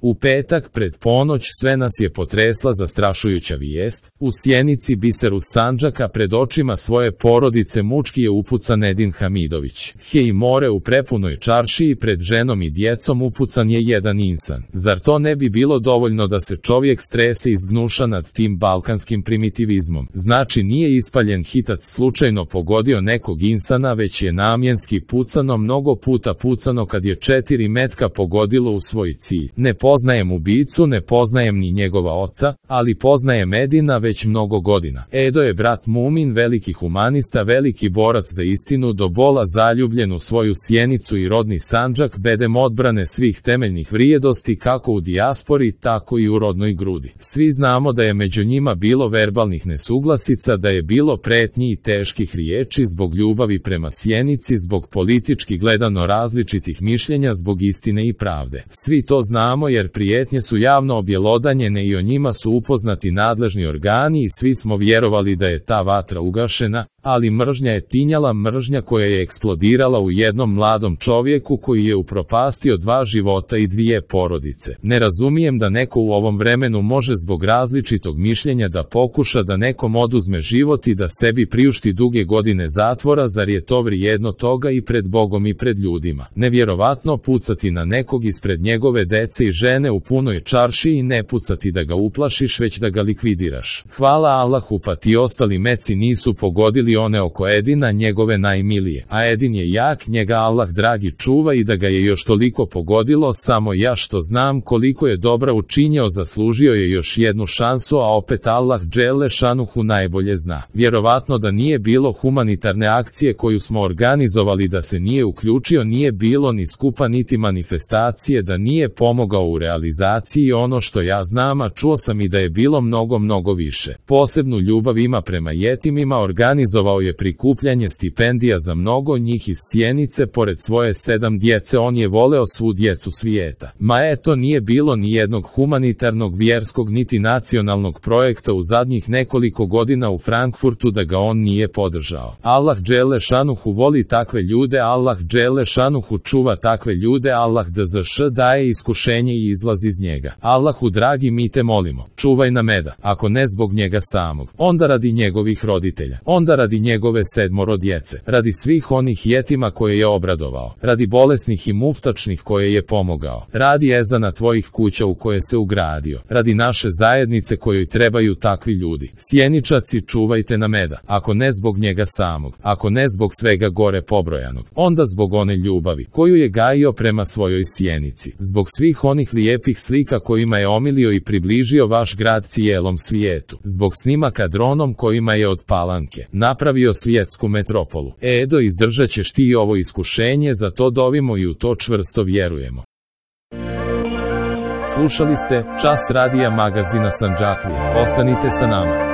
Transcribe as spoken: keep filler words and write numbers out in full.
U petak pred ponoć sve nas je potresla zastrašujuća vijest. U Sjenici, biseru Sandžaka, pred očima svoje porodice mučki je upucan Edin Hamidović. He i more u prepunoj čaršiji pred ženom i djecom upucan je jedan insan. Zar to ne bi bilo dovoljno da se čovjek strese i zgnuša nad tim balkanskim primitivizmom? Znači nije ispaljen hitac slučajno pogodio nekog insana, već je namjenski pucano, mnogo puta pucano kad je četiri metka pogodilo u svoj cilj. Ne poznajem ubicu, ne poznajem ni njegova oca, ali poznajem Edina već mnogo godina. Edo je brat Mumin, veliki humanista, veliki borac za istinu, do bola zaljubljen u svoju Sjenicu i rodni Sandžak, bedem odbrane svih temeljnih vrijedosti kako u dijaspori, tako i u rodnoj grudi. Svi znamo da je među njima bilo verbalnih nesuglasica, da je bilo pretnji i teških riječi zbog ljubavi prema Sjenici, zbog politički gledano različitih mišljenja, zbog istine i pravde. Svi to znamo jer prijetnje su javno objelodanjene i o njima su upoznati nadležni organi i svi smo vjerovali da je ta vatra ugašena, ali mržnja je tinjala, mržnja koja je eksplodirala u jednom mladom čovjeku koji je upropastio dva života i dvije porodice. Ne razumijem da neko u ovom vremenu može zbog različitog mišljenja da pokuša da nekom oduzme život i da sebi priušti duge godine zatvora, zar je to vrijedno toga i pred Bogom i pred ljudima? Nevjerovatno pucati na nekog ispred njegove dece i žene u punoj čarši i ne pucati da ga uplašiš, već da ga likvidiraš. Hvala Allahu, pa ti ostali meci nisu pogodili one oko Edina, njegove najmilije. A Edin je jak, njega Allah dragi čuva, i da ga je još toliko pogodilo, samo ja što znam koliko je dobra učinjao, zaslužio je još jednu šansu, a opet Allah dželle šanuhu najbolje zna. Vjerovatno da nije bilo humanitarne akcije koju smo organizovali, da se nije uključio, nije bilo ni skupa niti manifestacije, da nije pomogao u realizaciji. Ono što ja znam, a čuo sam i da je bilo mnogo, mnogo više. Posebnu ljubav ima prema jetimima, organizovao je prikupljanje stipendija za mnogo njih iz Sjenice, pored svoje sedam djece on je voleo svu djecu svijeta. Ma eto, nije bilo ni jednog humanitarnog, vjerskog niti nacionalnog projekta u zadnjih nekoliko godina u Frankfurtu da ga on nije podržao. Allah dželle šanuhu voli takve ljude, Allah dželle šanuhu čuva takve ljude, Allah dzš daje iskušenje i izlaz iz njega. Allahu dragi, mi te molimo, čuvaj Nameda, ako ne zbog njega samog, onda radi njegovih roditelja, onda radi njegove sedmoro djece, radi svih onih jetima koje je obradovao, radi bolesnih i muftačnih koje je pomogao, radi ezana tvojih kuća u koje se ugradio, radi naše zajednice kojoj trebaju takvi ljudi. Sjeničaci, čuvajte Nameda, ako ne zbog njega samog, ako ne zbog svega gore pobrojanog, onda zbog one ljubavi koju je gajio prema svojoj Sjenici, zbog svih onih lijepih slika kojima je omilio i približio vaš grad cijelom svijetu, zbog snimaka dronom kojima je od Palanke napravio svjetsku metropolu. Edo, izdržat ćeš ti ovo iskušenje, za to dovimo i u to čvrsto vjerujemo. Slušali ste Čas radija magazina Sandžaklija. Ostanite sa nama.